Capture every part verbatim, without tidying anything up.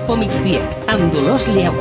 Infomigdia, amb Dolors Lleó.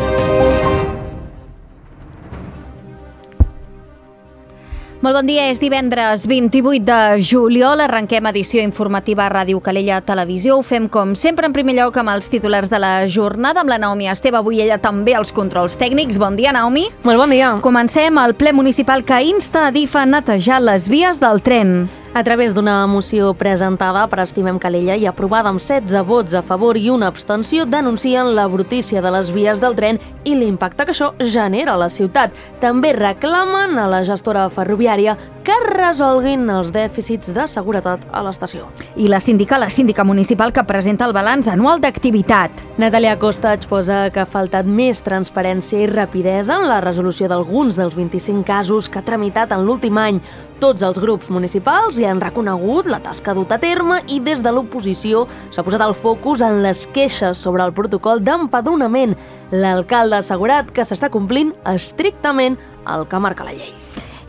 Molt bon dia, és divendres vint-i-vuit de juliol, arrenquem edició informativa a Ràdio Calella Televisió. Ho fem com sempre en primer lloc amb els titulars de la jornada, amb la Naomi Esteve, avui ella també als controls tècnics. Bon dia, Naomi. Molt bon dia. Comencem el ple municipal que insta a D I F a netejar les vies del tren. A través d'una moció presentada per Estimem Calella i aprovada amb setze vots a favor i una abstenció, denuncien la brutícia de les vies del tren i l'impacte que això genera a la ciutat. També reclamen a la gestora ferroviària que resolguin els dèficits de seguretat a l'estació. I la síndica, la síndica municipal que presenta el balanç anual d'activitat. Natàlia Costa exposa que ha faltat més transparència i rapidesa en la resolució d'alguns dels vint-i-cinc casos que ha tramitat en l'últim any. Tots els grups municipals hi han reconegut la tasca duta a terme i des de l'oposició s'ha posat el focus en les queixes sobre el protocol d'empadronament. L'alcalde ha assegurat que s'està complint estrictament el que marca la llei.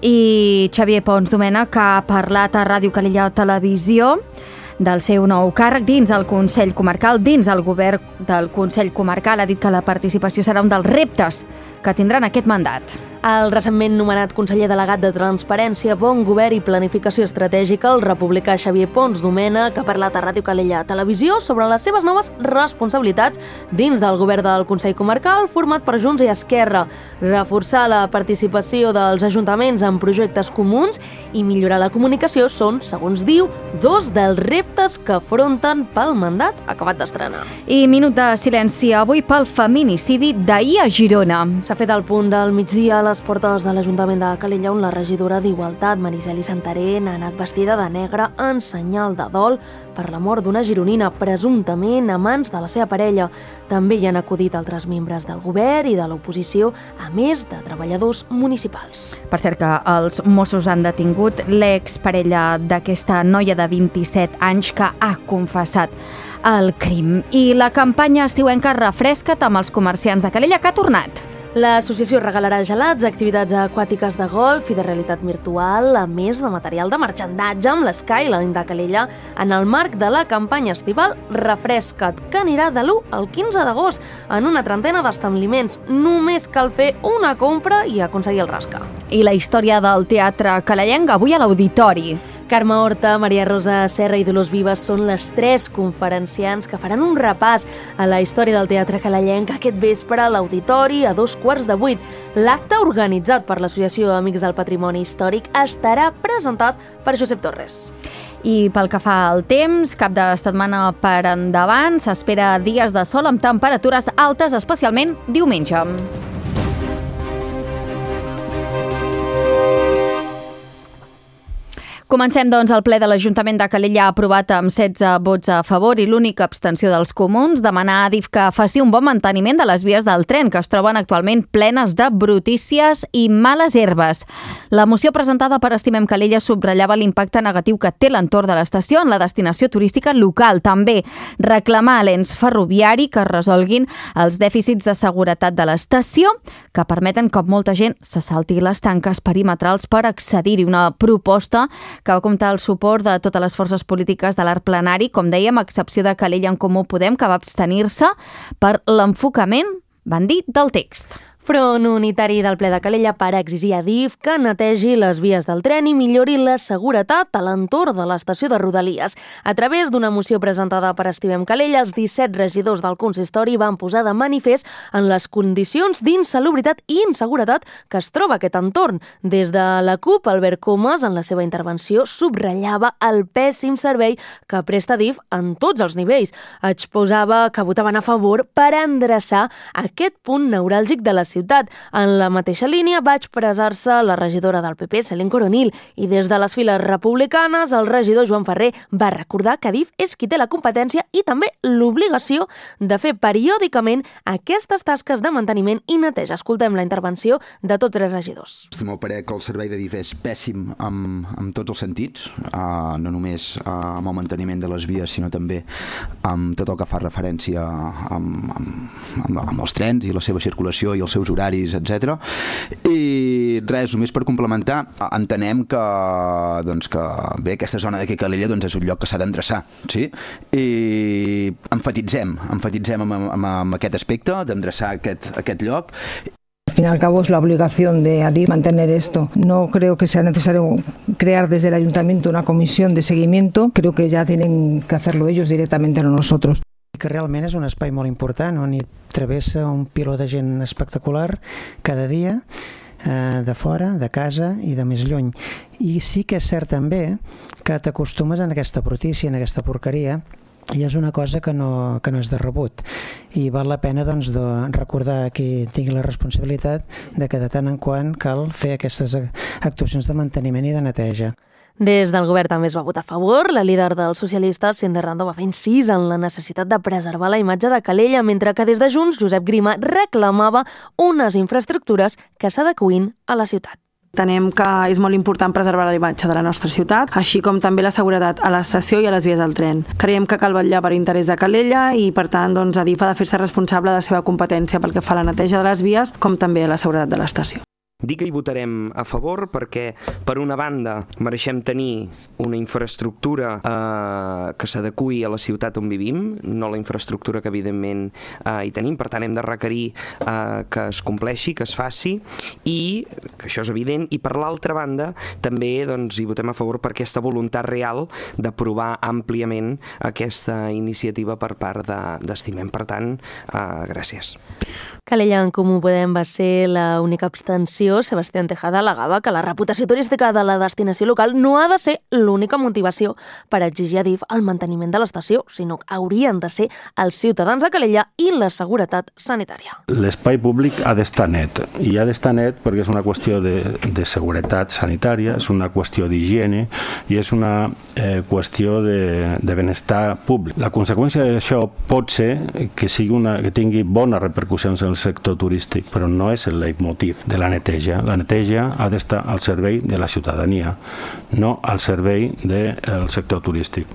I Xavier Pons Domènech, que ha parlat a Ràdio Calella Televisió del seu nou càrrec dins el Consell Comarcal, dins el govern del Consell Comarcal, ha dit que la participació serà un dels reptes que tindran aquest mandat. El recentment nomenat conseller delegat de Transparència, Bon Govern i Planificació Estratègica, el republicà Xavier Pons Domènech, que ha parlat a Ràdio Calella Televisió sobre les seves noves responsabilitats dins del govern del Consell Comarcal, format per Junts i Esquerra, reforçar la participació dels ajuntaments en projectes comuns i millorar la comunicació són, segons diu, dos dels reptes que afronten pel mandat acabat d'estrenar. I minut de silenci avui pel feminicidi d'ahir a Girona. S'ha fet el punt del migdia a les portes de l'Ajuntament de Calella, on la regidora d'Igualtat, Mariceli Santarén, ha anat vestida de negre en senyal de dol per la mort d'una gironina, presumptament a mans de la seva parella. També hi han acudit altres membres del govern i de l'oposició, a més de treballadors municipals. Per cert que els Mossos han detingut l'exparella d'aquesta noia de vint-i-set anys que ha confessat el crim. I la campanya estiuenca Refresca't amb els comerciants de Calella, que ha tornat. L'associació regalarà gelats, activitats aquàtiques de golf i de realitat virtual, a més de material de marxandatge amb l'Skyline de Calella en el marc de la campanya estival Refresca't, que anirà de l'u al quinze d'agost en una trentena d'establiments. Només cal fer una compra i aconseguir el rasca. I la història del teatre calellenc avui a l'Auditori. Carme Horta, Maria Rosa Serra i Dolors Vives són les tres conferenciants que faran un repàs a la història del teatre calellenc aquest vespre a l'Auditori a dos quarts de vuit. L'acte, organitzat per l'Associació Amics del Patrimoni Històric, estarà presentat per Josep Torres. I pel que fa al temps, cap de setmana per endavant, s'espera dies de sol amb temperatures altes, especialment diumenge. Comencem, doncs, el ple de l'Ajuntament de Calella ha aprovat amb setze vots a favor i l'única abstenció dels comuns demanar a D I F que faci un bon manteniment de les vies del tren, que es troben actualment plenes de brutícies i males herbes. La moció presentada per Estimem Calella subratllava l'impacte negatiu que té l'entorn de l'estació en la destinació turística local. També reclamar a l'ens ferroviari que resolguin els dèficits de seguretat de l'estació que permeten que molta gent se salti les tanques perimetrals per accedir-hi. Una proposta que va comptar el suport de totes les forces polítiques de l'art plenari, com dèiem, a excepció de Calella en Comú Podem, que va abstenir-se per l'enfocament, van dir, del text. Front unitari del ple de Calella per exigir a D I F que netegi les vies del tren i millori la seguretat a l'entorn de l'estació de Rodalies. A través d'una moció presentada per Estimem Calella, els disset regidors del consistori van posar de manifest en les condicions d'insalubritat i inseguretat que es troba aquest entorn. Des de la CUP, Albert Comas, en la seva intervenció, subratllava el pèssim servei que presta D I F en tots els nivells. Exposava que votaven a favor per endreçar aquest punt neuràlgic de la ciutat. En la mateixa línia va expressar-se la regidora del P P, Céline Coronil, i des de les files republicanes el regidor Joan Ferrer va recordar que D I F és qui té la competència i també l'obligació de fer periòdicament aquestes tasques de manteniment i neteja. Escoltem la intervenció de tots tres regidors. El meu parer que el servei de D I F és pèssim en, en tots els sentits, uh, no només uh, amb el manteniment de les vies, sinó també amb tot el que fa referència amb, amb, amb, amb els trens i la seva circulació i els seus seus horaris, etcètera. I res, només per complementar, entenem que, doncs, que bé, aquesta zona d'aquí Calella doncs, és un lloc que s'ha d'endreçar, sí? I enfatitzem, enfatitzem amb, amb, amb aquest aspecte d'endreçar aquest, aquest lloc. Al fin y al cabo es la obligación de Adif mantener esto. No creo que sea necesario crear desde el ayuntamiento una comisión de seguimiento, creo que ya tienen que hacerlo ellos directamente, no nosotros. Que realment és un espai molt important on hi travessa un piló de gent espectacular cada dia, eh, de fora, de casa i de més lluny. I sí que és cert també que t'acostumes en aquesta brutícia, en aquesta porqueria, i és una cosa que no, que no és de rebut, i val la pena doncs, de recordar a qui tingui la responsabilitat de que de tant en quant cal fer aquestes actuacions de manteniment i de neteja. Des del govern també es va votar a favor. La líder dels socialistes, Cindy Rando, va fer incís en la necessitat de preservar la imatge de Calella, mentre que des de Junts, Josep Grima reclamava unes infraestructures que s'adeqüin a la ciutat. Entenem que és molt important preservar la imatge de la nostra ciutat, així com també la seguretat a l'estació i a les vies del tren. Creiem que cal vetllar per interès de Calella i, per tant, doncs, Adif ha de fer-se responsable de la seva competència pel que fa a la neteja de les vies, com també a la seguretat de l'estació. Dic que hi votarem a favor perquè, per una banda, mereixem tenir una infraestructura eh, que s'adeqüi a la ciutat on vivim, no la infraestructura que, evidentment, eh, hi tenim. Per tant, hem de requerir eh, que es compleixi, que es faci, i que això és evident. I, per l'altra banda, també doncs, hi votem a favor per aquesta voluntat real d'aprovar àmpliament aquesta iniciativa per part d'Estimem. Per tant, eh, gràcies. Calella en Comú Podem va ser l'única abstenció. Sebastián Tejada al·legava que la reputació turística de la destinació local no ha de ser l'única motivació per exigir a Adif el manteniment de l'estació, sinó que haurien de ser els ciutadans de Calella i la seguretat sanitària. L'espai públic ha d'estar net, i ha d'estar net perquè és una qüestió de, de seguretat sanitària, és una qüestió d'higiene i és una eh, qüestió de, de benestar públic. La conseqüència d'això pot ser que, sigui una, que tingui bones repercussions en el sector turístic, però no és el leitmotiv de la neteja. La neteja ha d'estar al servei de la ciutadania, no al servei del sector turístic.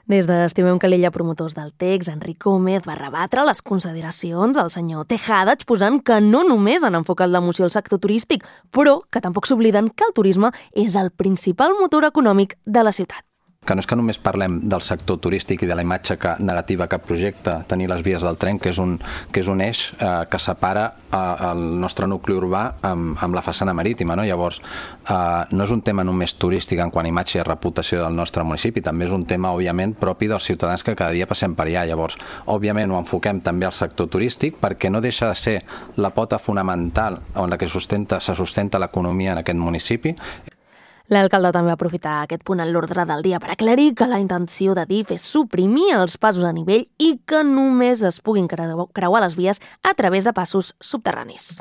Des d'Estimem Calella, promotors del text, Enric Gómez va rebatre les consideracions del senyor Tejada, exposant que no només han enfocat la moció al sector turístic, però que tampoc s'obliden que el turisme és el principal motor econòmic de la ciutat. Que no és que només parlem del sector turístic i de la imatge que, negativa que projecta tenir les vies del tren, que és un, que és un eix eh, que separa eh, el nostre nucli urbà amb, amb la façana marítima. No? Llavors, eh, no és un tema només turístic en quant a imatge i reputació del nostre municipi, també és un tema, òbviament, propi dels ciutadans que cada dia passem per allà. Llavors, òbviament, ho enfoquem també al sector turístic perquè no deixa de ser la pota fonamental on la que sustenta, se sustenta l'economia en aquest municipi. L'alcalde també va aprofitar aquest punt en l'ordre del dia per aclarir que la intenció d'Adif és suprimir els passos a nivell i que només es puguin creuar les vies a través de passos subterranis.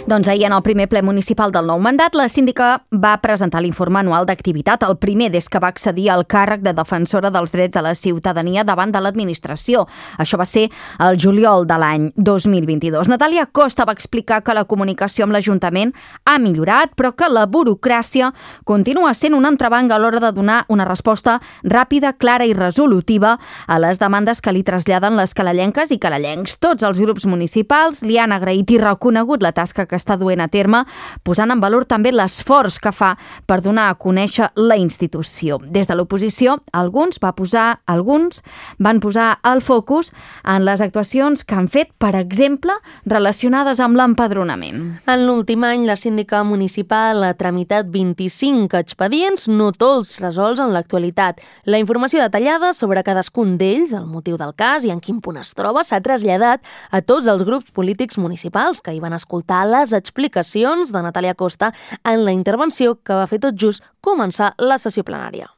Doncs ahir, en el primer ple municipal del nou mandat, la síndica va presentar l'informe anual d'activitat, el primer des que va accedir al càrrec de defensora dels drets de la ciutadania davant de l'administració. Això va ser el juliol de l'any dos mil vint-i-dos. Natàlia Costa va explicar que la comunicació amb l'Ajuntament ha millorat, però que la burocràcia continua sent un entrebanc a l'hora de donar una resposta ràpida, clara i resolutiva a les demandes que li traslladen les calellenques i calellencs. Tots els grups municipals li han agraït i reconegut la tasca que que està duent a terme, posant en valor també l'esforç que fa per donar a conèixer la institució. Des de l'oposició, alguns, va posar, alguns van posar el focus en les actuacions que han fet, per exemple, relacionades amb l'empadronament. En l'últim any, la síndica municipal ha tramitat vint-i-cinc expedients, no tots resolts en l'actualitat. La informació detallada sobre cadascun d'ells, el motiu del cas i en quin punt es troba, s'ha traslladat a tots els grups polítics municipals que hi van escoltar les explicacions de Natàlia Costa en la intervenció que va fer tot just començar la sessió plenària.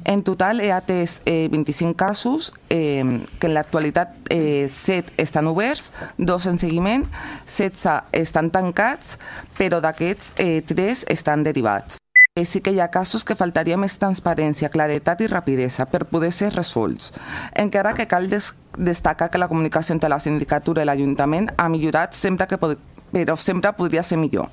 En total he atès eh, vint-i-cinc casos, eh, que en l'actualitat eh, set estan oberts, dos en seguiment, setze estan tancats, però d'aquests eh, tres estan derivats. Eh, sí que hi ha casos que faltaria més transparència, claretat i rapidesa per poder ser resolts. Encara que cal des destacar que la comunicació entre la sindicatura i l'Ajuntament ha millorat sempre que pot però sempre podria ser millor.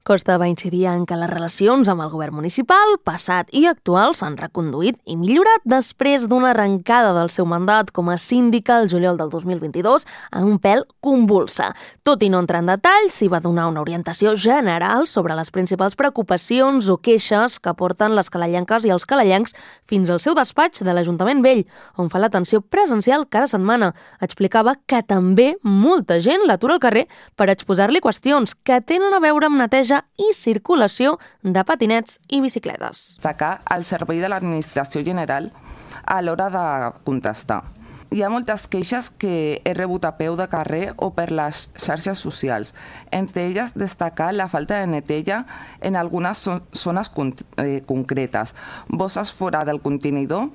Costa va incidir en que les relacions amb el govern municipal, passat i actual, s'han reconduït i millorat després d'una arrencada del seu mandat com a síndica el juliol del dos mil vint-i-dos en un pèl convulsa. Tot i no entrar en detalls, s'hi va donar una orientació general sobre les principals preocupacions o queixes que porten les calellenques i els calellencs fins al seu despatx de l'Ajuntament Vell, on fa l'atenció presencial cada setmana. Explicava que també molta gent l'atura al carrer per exposar-li qüestions que tenen a veure amb neteja i circulació de patinets i bicicletes. Destacar el servei de l'administració general a l'hora de contestar. Hi ha moltes queixes que he rebut a peu de carrer o per les xarxes socials. Entre elles, destacar la falta de neteja en algunes zones concretes, bosses fora del contenidor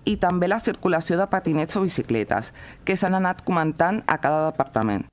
i també la circulació de patinets o bicicletes, que s'han anat comentant a cada departament.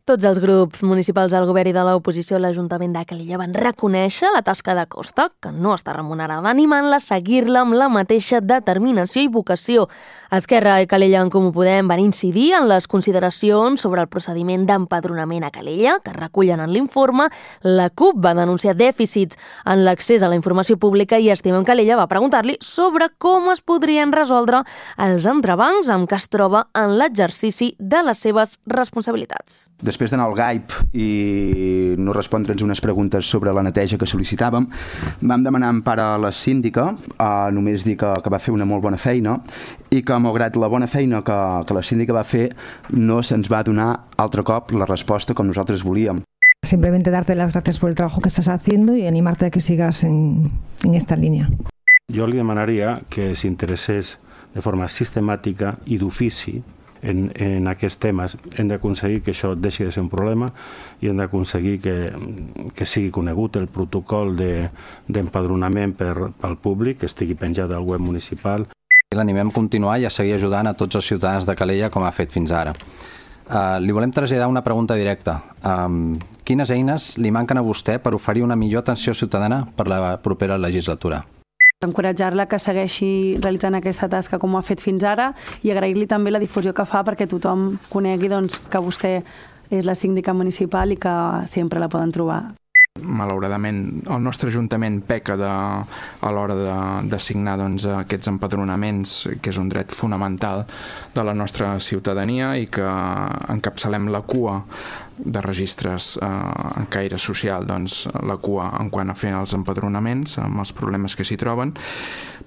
Tots els grups municipals del govern i de l'oposició a l'Ajuntament de Calella van reconèixer la tasca de Costa, que no està remunerada, animant-la a seguir-la amb la mateixa determinació i vocació. Esquerra i Calella en Comú Podem van incidir en les consideracions sobre el procediment d'empadronament a Calella, que recullen en l'informe. La CUP va denunciar dèficits en l'accés a la informació pública i Estimem Calella va preguntar-li sobre com es podrien resoldre els entrebancs amb què es troba en l'exercici de les seves responsabilitats. Després d'anar al Gaip i no respondre'ns unes preguntes sobre la neteja que sol·licitàvem, vam demanar empara a la síndica, a només dir que, que va fer una molt bona feina i que, malgrat la bona feina que, que la síndica va fer, no se'ns va donar altre cop la resposta com nosaltres volíem. Simplemente darte las gracias por el trabajo que estás haciendo y animarte a que sigas en, en esta línea. Jo li demanaria que s'interessés de forma sistemàtica i d'ofici En, en aquests temes. Hem d'aconseguir que això deixi de ser un problema i hem d'aconseguir que, que sigui conegut el protocol d'empadronament de, per, pel públic, que estigui penjat al web municipal. L'animem a continuar i a seguir ajudant a tots els ciutadans de Calella com ha fet fins ara. Uh, li volem traslladar una pregunta directa. Um, quines eines li manquen a vostè per oferir una millor atenció ciutadana per la propera legislatura? Encoratjar-la que segueixi realitzant aquesta tasca com ho ha fet fins ara i agrair-li també la difusió que fa perquè tothom conegui doncs, que vostè és la síndica municipal i que sempre la poden trobar. Malauradament, el nostre Ajuntament peca de, a l'hora de, de signar doncs, aquests empadronaments, que és un dret fonamental de la nostra ciutadania i que encapçalem la cua de registres eh, en caire social, doncs, la cua en quant a fer els empadronaments, amb els problemes que s'hi troben.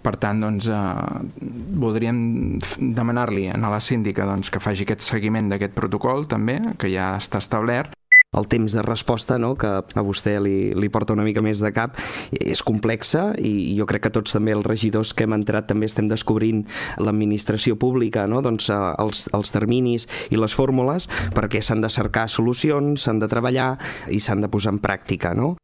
Per tant, doncs, eh, voldríem demanar-li a la síndica doncs, que faci aquest seguiment d'aquest protocol també, que ja està establert. El temps de resposta, no?, que a vostè li, li porta una mica més de cap, és complexa i jo crec que tots també els regidors que hem entrat també estem descobrint l'administració pública, no?, doncs els, els terminis i les fórmules perquè s'han de cercar solucions, s'han de treballar i s'han de posar en pràctica, no?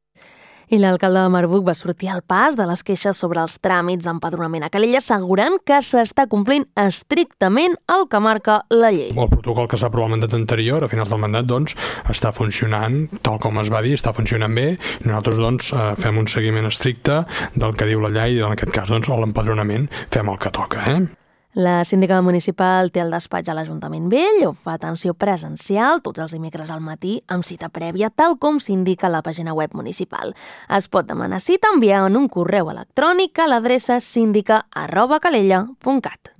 I l'alcalde de Marbuc va sortir al pas de les queixes sobre els tràmits d'empadronament a Calella, assegurant que s'està complint estrictament el que marca la llei. El protocol que s'ha aprovat al mandat anterior, a finals del mandat, doncs, està funcionant tal com es va dir, està funcionant bé. Nosaltres, doncs, fem un seguiment estricte del que diu la llei i, en aquest cas, doncs, l'empadronament fem el que toca, eh? La síndica municipal té el despatx a l'Ajuntament Vell, on fa atenció presencial tots els dimecres al matí amb cita prèvia, tal com s'indica a la pàgina web municipal. Es pot demanar cita enviant un correu electrònic a l'adreça síndica arroba calella punt cat.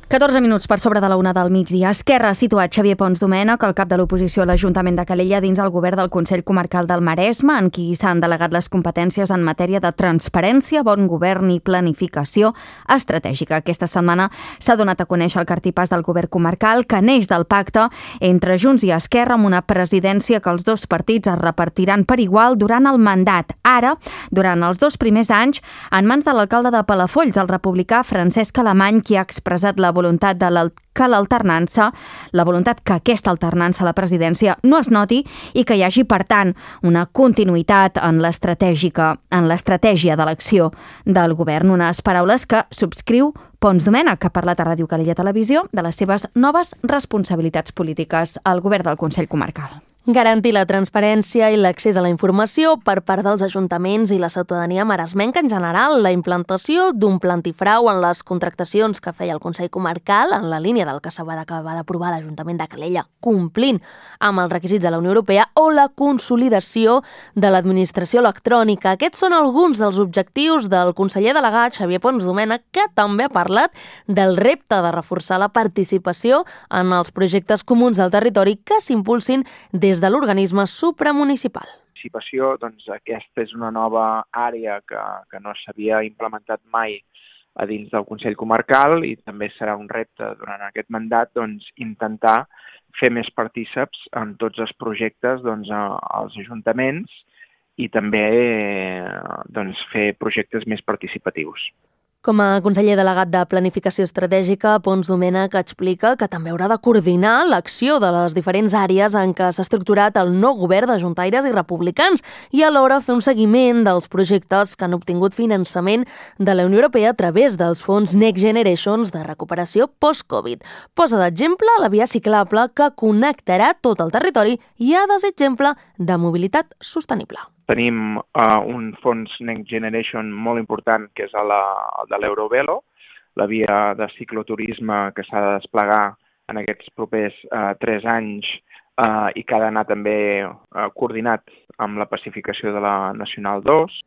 catorze minuts per sobre de la una del migdia. Esquerra ha situat Xavier Pons Domènech, el cap de l'oposició a l'Ajuntament de Calella, dins el govern del Consell Comarcal del Maresme, en qui s'han delegat les competències en matèria de transparència, bon govern i planificació estratègica. Aquesta setmana s'ha donat a conèixer el cartipàs del govern comarcal, que neix del pacte entre Junts i Esquerra amb una presidència que els dos partits es repartiran per igual durant el mandat. Ara, durant els dos primers anys, en mans de l'alcalde de Palafolls, el republicà Francesc Alemany, qui ha expressat la voluntat de que l'alternança, la voluntat que aquesta alternança a la presidència no es noti i que hi hagi, per tant, una continuïtat en l'estratègica, en l'estratègia de l'acció del govern. Unes paraules que subscriu Pons Domènech, que ha parlat a Ràdio Calella Televisió de les seves noves responsabilitats polítiques al govern del Consell Comarcal. Garantir la transparència i l'accés a la informació per part dels ajuntaments i la ciutadania maresmenca en general, la implantació d'un pla antifrau en les contractacions que feia el Consell Comarcal en la línia del que s'ha d'aprovar l'Ajuntament de Calella, complint amb els requisits de la Unió Europea, o la consolidació de l'administració electrònica. Aquests són alguns dels objectius del conseller delegat Xavier Pons Domènech, que també ha parlat del repte de reforçar la participació en els projectes comuns del territori que s'impulsin des de l'organisme supramunicipal. Participació, doncs aquesta és una nova àrea que, que no s'havia implementat mai a dins del Consell Comarcal i també serà un repte durant aquest mandat doncs, intentar fer més partíceps en tots els projectes doncs, als ajuntaments i també doncs, fer projectes més participatius. Com a conseller delegat de Planificació Estratègica, Pons Domènech explica que també haurà de coordinar l'acció de les diferents àrees en què s'ha estructurat el nou govern de juntaires i republicans i alhora fer un seguiment dels projectes que han obtingut finançament de la Unió Europea a través dels fons Next Generations de recuperació post-Covid. Posa d'exemple la via ciclable que connectarà tot el territori i ha de ser exemple de mobilitat sostenible. Tenim uh, un fons Next Generation molt important, que és el de l'Eurovelo, la via de cicloturisme que s'ha de desplegar en aquests propers uh, tres anys uh, i que ha d'anar també uh, coordinat amb la pacificació de la Nacional dos.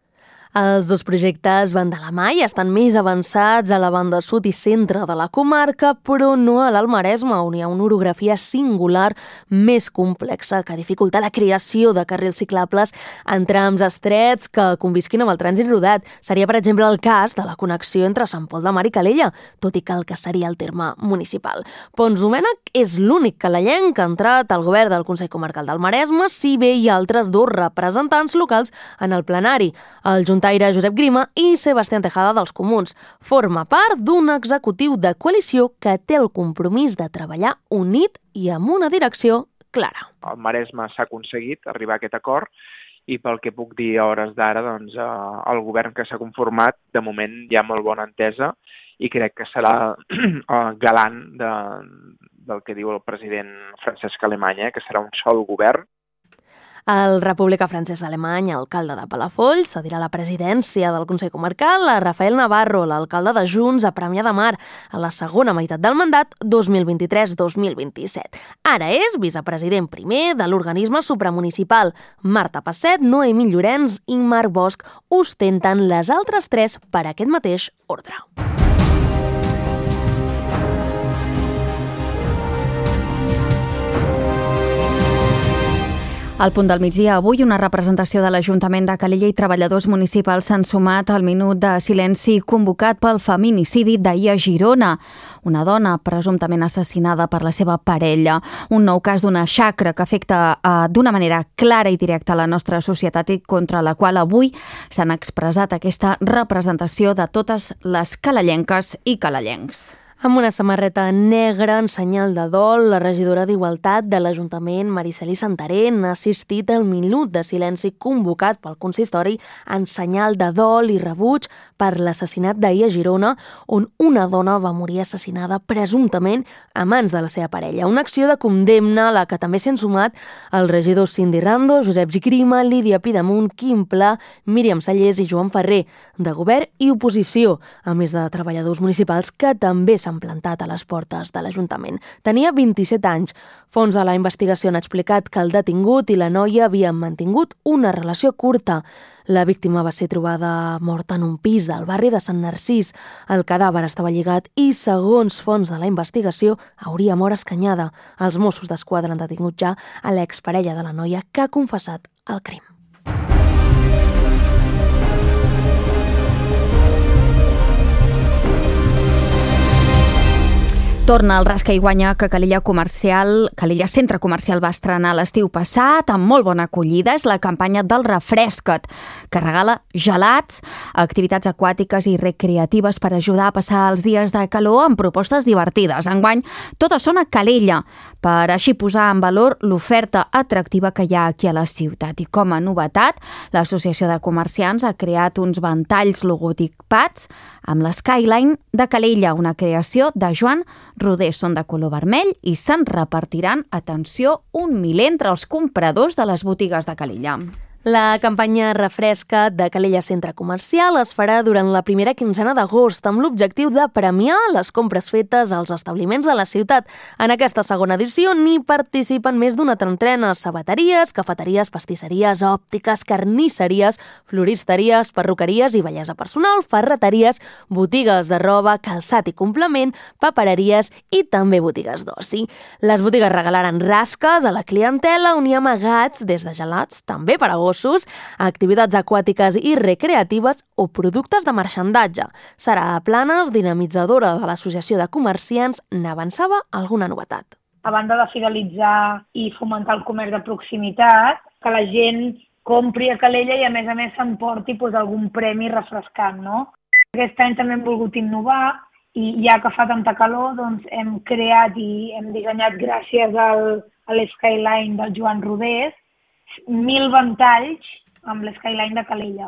Els dos projectes van de la mà i estan més avançats a la banda sud i centre de la comarca, però no a l'Alt Maresme, on hi ha una orografia singular més complexa que dificulta la creació de carrils ciclables en trams estrets que convisquin amb el trànsit rodat. Seria, per exemple, el cas de la connexió entre Sant Pol de Mar i Calella, tot i que el que seria el terme municipal. Pons Domènech és l'únic calellenc que ha entrat al govern del Consell Comarcal del Maresme, si bé hi ha altres dos representants locals en el plenari, el juntaire Josep Grima i Sebastián Tejada dels Comuns. Forma part d'un executiu de coalició que té el compromís de treballar unit i amb una direcció clara. Al Maresme s'ha aconseguit arribar a aquest acord i pel que puc dir a hores d'ara, doncs, el govern que s'ha conformat, de moment hi ha molt bona entesa i crec que serà galant de, del que diu el president Francesc Alemany, eh, que serà un sol govern. El republicà Francesc Alemany, alcalde de Palafolls, cedirà la presidència del Consell Comarcal a Rafael Navarro, l'alcalde de Junts a Premià de Mar, a la segona meitat del mandat dos mil vint-i-tres dos mil vint-i-set. Ara és vicepresident primer de l'organisme supramunicipal. Marta Passet, Noemí Llorenç i Marc Bosch ostenten les altres tres per aquest mateix ordre. Al punt del migdia, avui, una representació de l'Ajuntament de Calella i treballadors municipals s'han sumat al minut de silenci convocat pel feminicidi d'ahir a Girona. Una dona presumptament assassinada per la seva parella. Un nou cas d'una xacra que afecta eh, d'una manera clara i directa a la nostra societat i contra la qual avui s'han expressat aquesta representació de totes les calellenques i calellencs. Amb una samarreta negra en senyal de dol, la regidora d'Igualtat de l'Ajuntament, Mariceli Santarén, ha assistit al minut de silenci convocat pel consistori en senyal de dol i rebuig per l'assassinat d'ahir a Girona, on una dona va morir assassinada presumptament a mans de la seva parella. Una acció de condemna a la que també s'han sumat els regidors Cindy Rando, Josep Grima, Lídia Pidamunt, Quim Pla, Míriam Sallés i Joan Ferrer, de govern i oposició, a més de treballadors municipals que també s'han plantat a les portes de l'Ajuntament. Tenia vint-i-set anys. Fons de la investigació han explicat que el detingut i la noia havien mantingut una relació curta. La víctima va ser trobada morta en un pis del barri de Sant Narcís. El cadàver estava lligat i, segons fons de la investigació, hauria mort escanyada. Els Mossos d'Esquadra han detingut ja a l'exparella de la noia que ha confessat el crim. Torna el Rasca i Guanya, que Calella Comercial, Calella Centre Comercial va estrenar l'estiu passat amb molt bona acollida. És la campanya del Refresca't, que regala gelats, activitats aquàtiques i recreatives per ajudar a passar els dies de calor amb propostes divertides. Enguany, totes són a Calella, per així posar en valor l'oferta atractiva que hi ha aquí a la ciutat. I com a novetat, l'Associació de Comerciants ha creat uns ventalls logotipats amb l'Skyline de Calella, una creació de Joan roders són de color vermell i se'n repartiran, atenció, un miler entre els compradors de les botigues de Calella. La campanya Refresca de Calella Centre Comercial es farà durant la primera quinzena d'agost amb l'objectiu de premiar les compres fetes als establiments de la ciutat. En aquesta segona edició n'hi participen més d'una trentena: sabateries, cafeteries, pastisseries, òptiques, carnisseries, floristeries, perruqueries i bellesa personal, ferreteries, botigues de roba, calçat i complement, papereries i també botigues d'oci. Les botigues regalaran rasques a la clientela on hi ha amagats des de gelats, també per a gossos, activitats aquàtiques i recreatives o productes de marxandatge. Sara Planes, dinamitzadora de l'Associació de Comerciants, n'avançava alguna novetat. A banda de fidelitzar i fomentar el comerç de proximitat, que la gent compri a Calella i a més a més s'emporti pues, algun premi refrescant, no? Aquest any també hem volgut innovar i ja que fa tanta calor doncs hem creat i hem dissenyat gràcies al, a l'Skyline del Joan Rodés mil ventalls amb l'Skyline de Calella.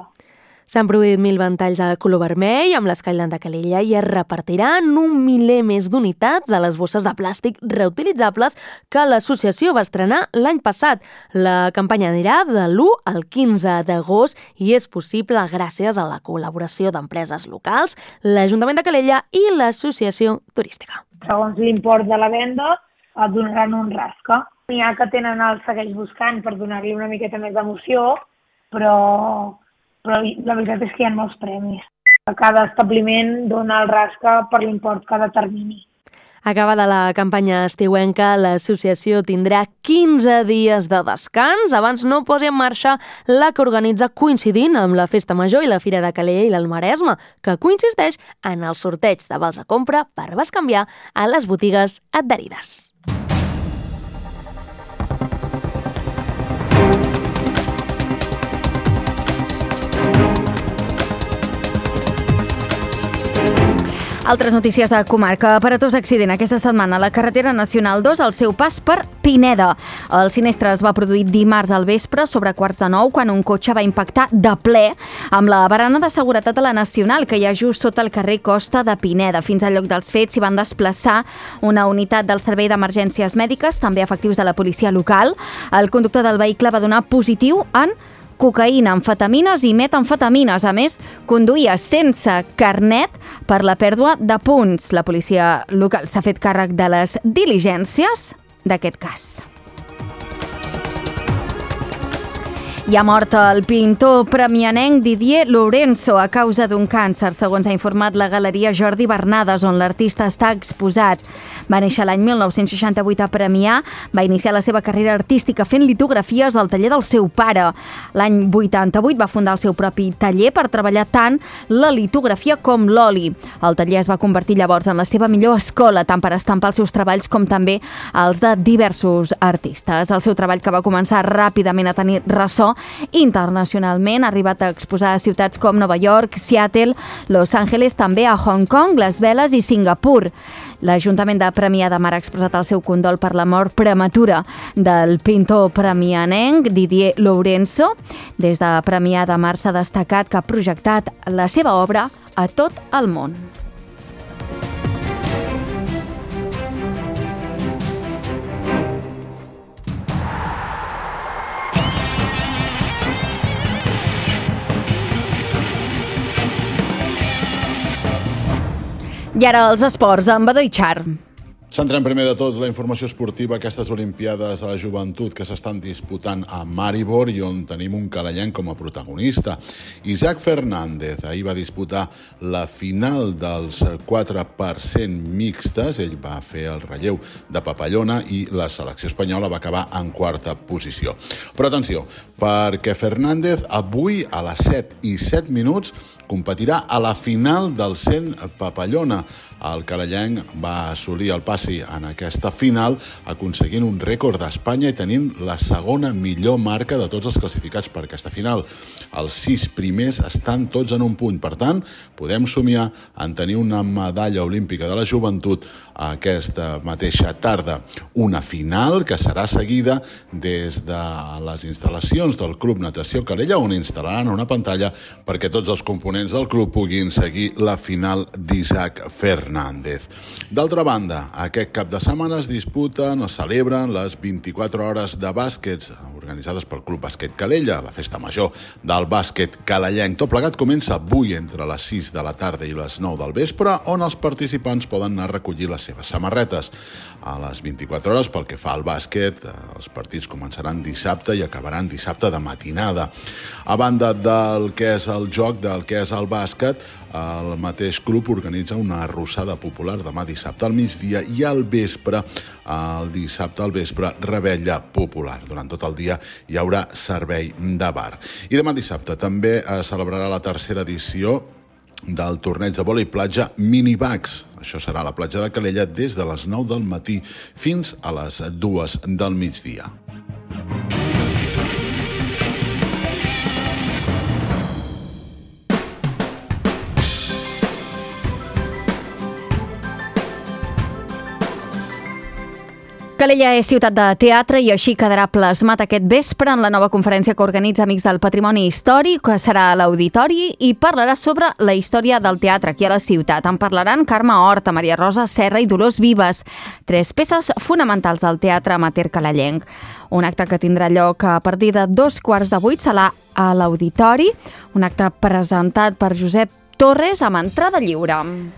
S'han produït mil ventalls de color vermell amb l'Skyline de Calella i es repartiran un miler més d'unitats de les bosses de plàstic reutilitzables que l'associació va estrenar l'any passat. La campanya anirà de l'u al quinze d'agost i és possible gràcies a la col·laboració d'empreses locals, l'Ajuntament de Calella i l'Associació Turística. Segons l'import de la venda, et donaran un rasca. N'hi ha que tenen el segueix buscant per donar-li una miqueta més d'emoció, però, però la veritat és que hi ha molts premis. Cada establiment dona el rasca per l'import que determini. Acabada la campanya estiuenca, l'associació tindrà quinze dies de descans abans no posi en marxa la que organitza coincidint amb la Festa Major i la Fira de Calella i l'Alt Maresme, que coincideix en el sorteig de vals de compra per bescanviar a les botigues adherides. Altres notícies de comarca. Aparatós accident aquesta setmana a la carretera nacional dos al seu pas per Pineda. El sinistre es va produir dimarts al vespre sobre quarts de nou quan un cotxe va impactar de ple amb la barana de seguretat de la Nacional que hi ha just sota el carrer Costa de Pineda. Fins al lloc dels fets s'hi van desplaçar una unitat del Servei d'Emergències Mèdiques, també efectius de la policia local. El conductor del vehicle va donar positiu en cocaïna, amfetamines i metamfetamines. A més, conduïa sense carnet per la pèrdua de punts. La policia local s'ha fet càrrec de les diligències d'aquest cas. Hi ha mort el pintor premianenc Didier Lourenço a causa d'un càncer, segons ha informat la Galeria Jordi Bernades, on l'artista està exposat. Va néixer l'any mil nou-cents seixanta-vuit a Premià, va iniciar la seva carrera artística fent litografies al taller del seu pare. L'any vuitanta-vuit va fundar el seu propi taller per treballar tant la litografia com l'oli. El taller es va convertir llavors en la seva millor escola, tant per estampar els seus treballs com també els de diversos artistes. El seu treball, que va començar ràpidament a tenir ressò internacionalment, ha arribat a exposar a ciutats com Nova York, Seattle, Los Angeles, també a Hong Kong, Las Vegas i Singapur. L'Ajuntament de Premià de Mar ha expressat el seu condol per la mort prematura del pintor premianenc Didier Lourenço. Des de Premià de Mar s'ha destacat que ha projectat la seva obra a tot el món. I ara els esports, amb Badó i Char. Centrem primer de tot la informació esportiva, aquestes Olimpiades de la Joventut que s'estan disputant a Maribor i on tenim un calellenc com a protagonista. Isaac Fernández ahir va disputar la final dels quatre per cent mixtes, ell va fer el relleu de papallona i la selecció espanyola va acabar en quarta posició. Però atenció, perquè Fernández avui a les set i set minuts competirà a la final del cent papallona. El calellenc va assolir el pas passi en aquesta final aconseguint un rècord d'Espanya i tenint la segona millor marca de tots els classificats per aquesta final. Els sis primers estan tots en un punt. Per tant, podem somiar en tenir una medalla olímpica de la joventut aquesta mateixa tarda. Una final que serà seguida des de les instal·lacions del Club Natació Calella, on instal·laran una pantalla perquè tots els components del club puguin seguir la final d'Isaac Fernández. D'altra banda, aquest cap de setmana es disputen o celebren les vint-i-quatre hores de bàsquet organitzades pel Club Bàsquet Calella, la festa major del bàsquet calellenc. Tot plegat comença avui entre les sis de la tarda i les nou del vespre, on els participants poden anar a recollir les seves samarretes. A les vint-i-quatre hores, pel que fa al bàsquet, els partits començaran dissabte i acabaran dissabte de matinada. A banda del que és el joc, del que és el bàsquet, el mateix club organitza una arrossada popular demà dissabte al migdia i al vespre, el dissabte al vespre, rebella popular. Durant tot el dia hi haurà servei de bar. I demà dissabte també es celebrarà la tercera edició del torneig de vòlei platja Minibags. Això serà a la platja de Calella des de les nou del matí fins a les dues del migdia. Calella és ciutat de teatre i així quedarà plasmat aquest vespre en la nova conferència que organitza Amics del Patrimoni Històric, que serà a l'Auditori i parlarà sobre la història del teatre aquí a la ciutat. En parlaran Carme Horta, Maria Rosa Serra i Dolors Vives, tres peces fonamentals del teatre amateur calellenc. Un acte que tindrà lloc a partir de dos quarts de vuit serà a l'Auditori, un acte presentat per Josep Torres amb entrada lliure.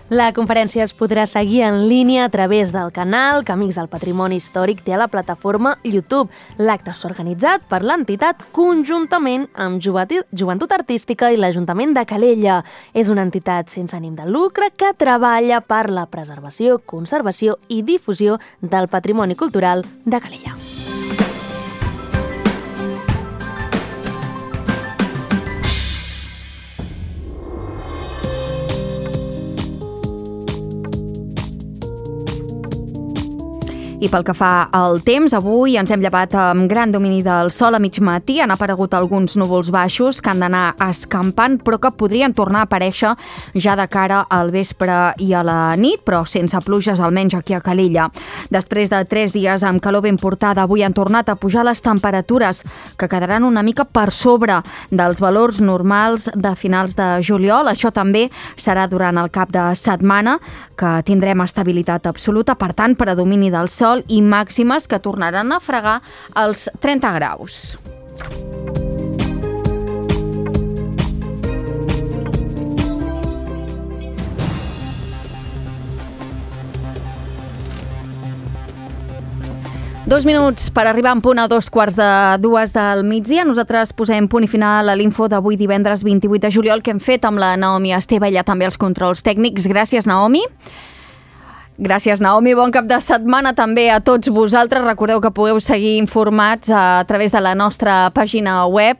La conferència es podrà seguir en línia a través del canal que Amics del Patrimoni Històric té a la plataforma YouTube. L'acte s'ha organitzat per l'entitat conjuntament amb Joventut Artística i l'Ajuntament de Calella. És una entitat sense ànim de lucre que treballa per la preservació, conservació i difusió del patrimoni cultural de Calella. I pel que fa al temps, avui ens hem llevat amb gran domini del sol a mig matí. Han aparegut alguns núvols baixos que han d'anar escampant, però que podrien tornar a aparèixer ja de cara al vespre i a la nit, però sense pluges, almenys aquí a Calella. Després de tres dies amb calor ben portada, avui han tornat a pujar les temperatures, que quedaran una mica per sobre dels valors normals de finals de juliol. Això també serà durant el cap de setmana, que tindrem estabilitat absoluta, per tant, predomini del sol i màximes que tornaran a fregar els trenta graus. Dos minuts per arribar en punt a dos quarts de dues del migdia. Nosaltres posem punt i final a l'info d'avui divendres vint-i-vuit de juliol que hem fet amb la Naomi Esteve, ella també els controls tècnics. Gràcies, Naomi. Gràcies, Naomi. Bon cap de setmana també a tots vosaltres. Recordeu que podeu seguir informats a través de la nostra pàgina web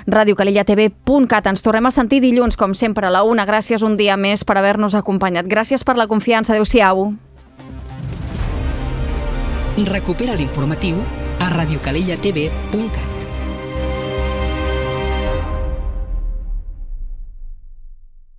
radio calella t v punt cat. Ens tornem a sentir dilluns, com sempre, a la una. Gràcies un dia més per haver-nos acompanyat. Gràcies per la confiança. Adéu-siau. Recupera l'informatiu a radio calella t v punt cat.